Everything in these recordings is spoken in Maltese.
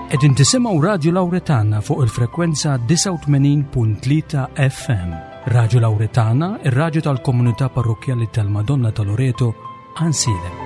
Qegħdin tisimgħu Radju Lawretana fuq il-frekwenza 89.3 FM. Radju Lawretana, ir-radju tal-komunità parrokkjali tal-Madonna ta' Loreto, Għansielem.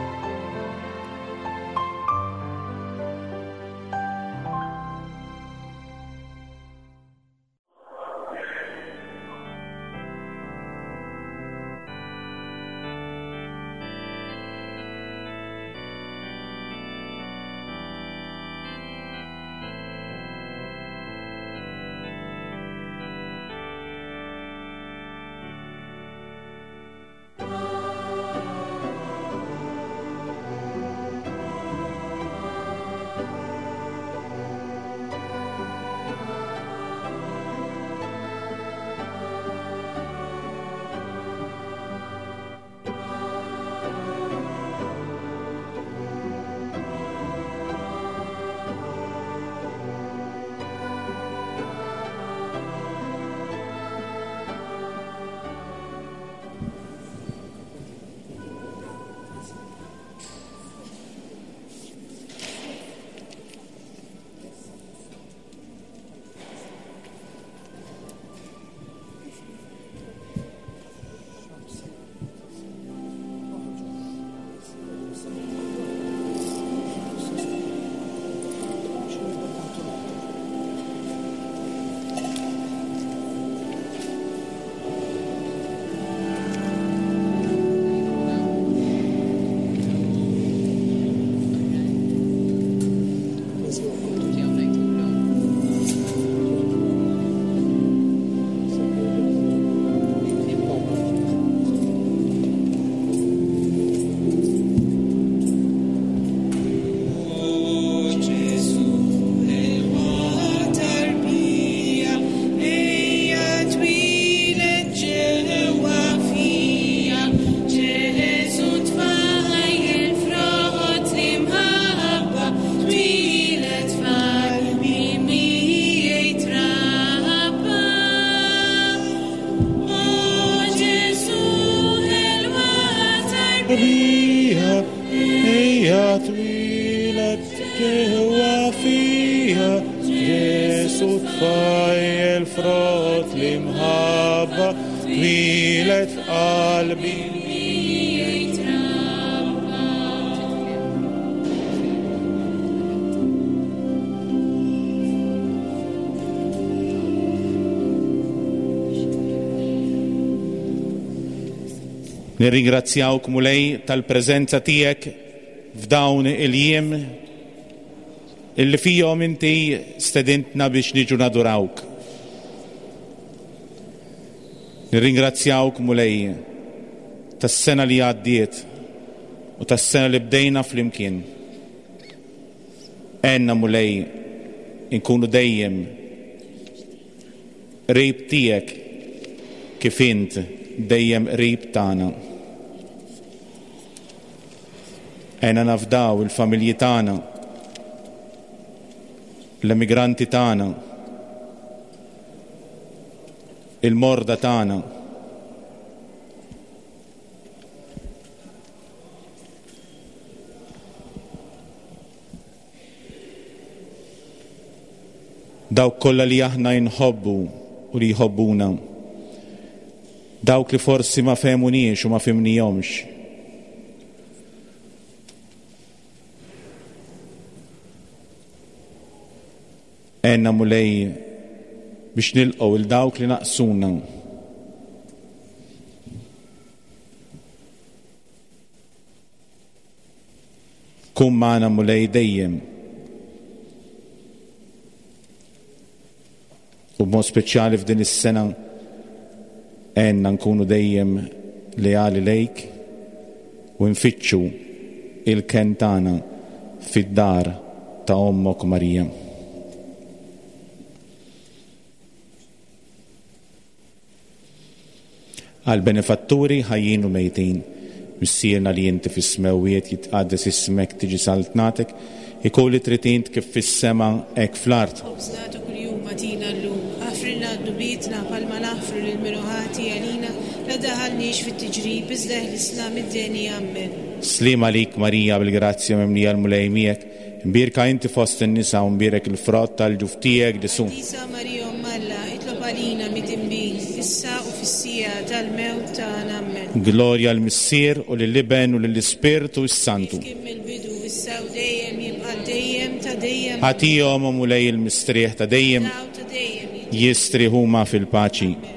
Nirringrazzjawk Mulej tal-preżenza tiegħek f'dawn il-jiem illi fihom inti stedintna biex niġu nadurawk. Nirringrazzjawk Mulej tas-sena li għaddiet u tas-sena li bdejna flimkien. Għenna Mulej inkunu dejjem qrib tiegħek kif int dejjem qrib tagħna. Għenna nafdaw il-familji tagħna, l-emigranti tagħna, il-morda tagħna. Dawk kollha li aħna inħobbu u li jħobbuna. Dawk li forsi ma fehmuniex u ma fhimnihomx. Għenna Mulej biex nilqgħu il dawk li naqsuna. Kun magħna Mulej dejjem. U b'mod speċjali f'din is-sena għenna nkunu dejjem leali lejk u nfittxu il-kenn tagħna fid-dar ta' ommok Marija. Għall-benefatturi ħajjin u mejtin, Missierna li inti fis-smewwiet, jitqaddes ismek, tiġi saltnatek, ikun li trid int kif fis-sema hekk fl-art. Ħobżna ta' kuljum agħtina llum. Aħfrilna dnubietna bħalma naħfru lil min hu ħati għalina, la daħalniex fit-tiġrib, iżda eħlisna mid-deni. Ammen. Sliem għalik Marija bil-grazzja mimlija l-Mulej miegħek. Mbierka inti fost in-nisa u mbierek il-frott tal-ġuf tiegħek Ġesù. Qaddisa Marija Omm Alla, itlob għalina midinbin, issa u fis-siegħa tal-mewt tagħna. Ammen. Glorja lill-Missier u lill-Iben u lill-Ispirtu s-Santu. Kif kien mill-bidu, issa u dejjem, jibqa' għal dejjem ta' dejjem. Ammen. Agħtihom, o Mulej, il-mistrieħ ta' dejjem. Dawl ta' dejjem jiddi. Jistrieħ huma fil-paċi. Ammen.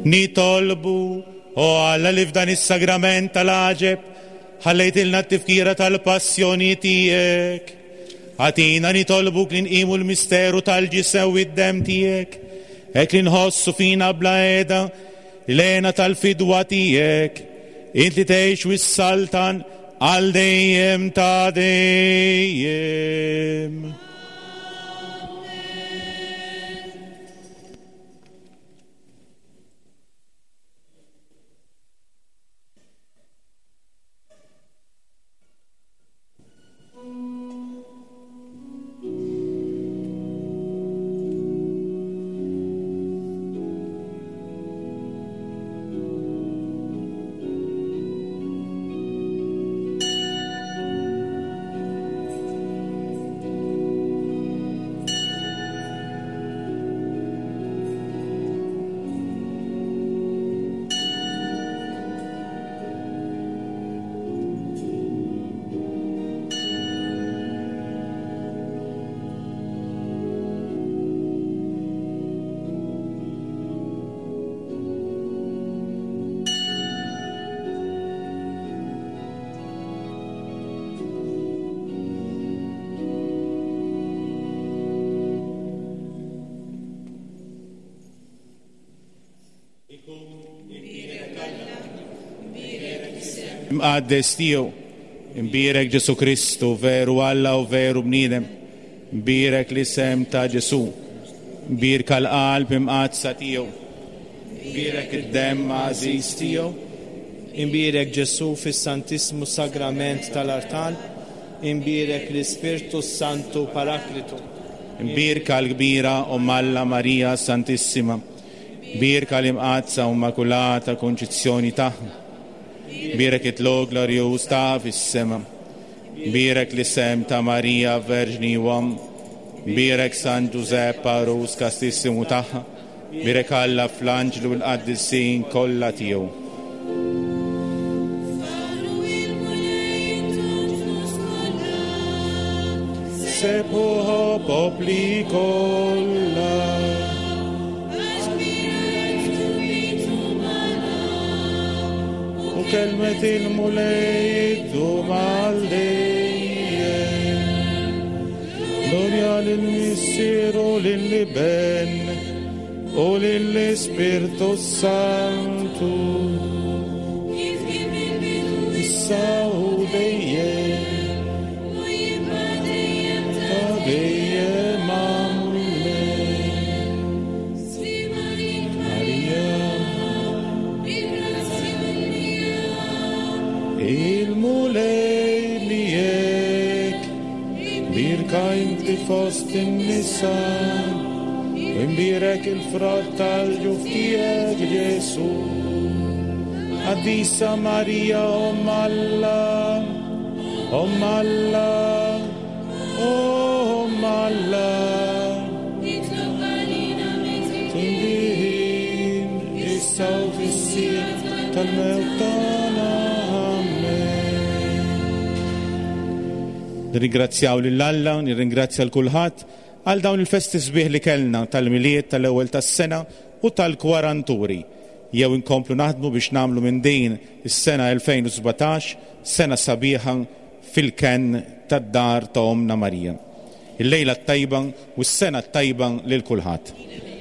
Nitolbu, o Alla li f'dan is-sagrament tal-għaġeb ħallejtilna t-tifkira tal-passjoni tiegħek. Agħtina nitolbuk li nqimu l-misteru tal-ġisem u d-demm tiegħek, hekk li nħossu fina bla qiegħda l-għena tal-fidwa tiegħek, int li tgħix u s-saltan għal dejjem ta' dejjem. Imqaddes tiegħu, imbierek Ġesu Kristu, veru Alla u veru bniedem, imbierek l-isem ta' Ġesu, imbierka l-qalb imqaddsa tiegħu, imbierek id-demm għażiż tiegħu, imbierek Ġesu fis-Santissmu Sagrament tal-Artal, imbierek l-Ispirtu Santu Paraklitu. Imbierka l-kbira Omm Alla Marija Santissima, imbierka l-imqaddsa u Immakulata Konċizzjoni tagħha, imbierek it-tlugħ glorjuż ta' fis-sema, imbierek l-isem ta' Marija Verġni u Omm, imbierek San Ġużepp Għarus Kastissimu tagħha, imbierek Alla fl-anġlu u l-qaddisin kollha tiegħu. Sepuħo popli kollha. U kelmet il-Mulej iddum għal dejjem. Glorja lill-Missier u lill-Iben u lill-Ispirtu Santu. Issa u dejjem ta' dejjem. Amen. Marija, il-Mulej miegħek, bir Imbierka inti fost in-nisa, u imbierek il-frott tal-ġuf tiegħek Ġesù. Qaddisa Marija Omm Alla, Omm Alla, Omm Alla. Itlob għalina Tinbin, issa u fis-siegħa tal-mewt tagħna. Amen. Nirringrazzjaw lil Alla, nirringrazzja l kulħadd għal dawn il-festi sbieħ li kellna tal-Milied, tal-ewwel tas-sena u tal-Kwaranturi. Jew inkomplu naħdmu biex nagħmlu minn din is-sena 2017 sena sabiħa fil-kenn tad-dar ta' Ommna Marija. Il-lejla t-tajba u s-sena t-tajba lil kulħadd.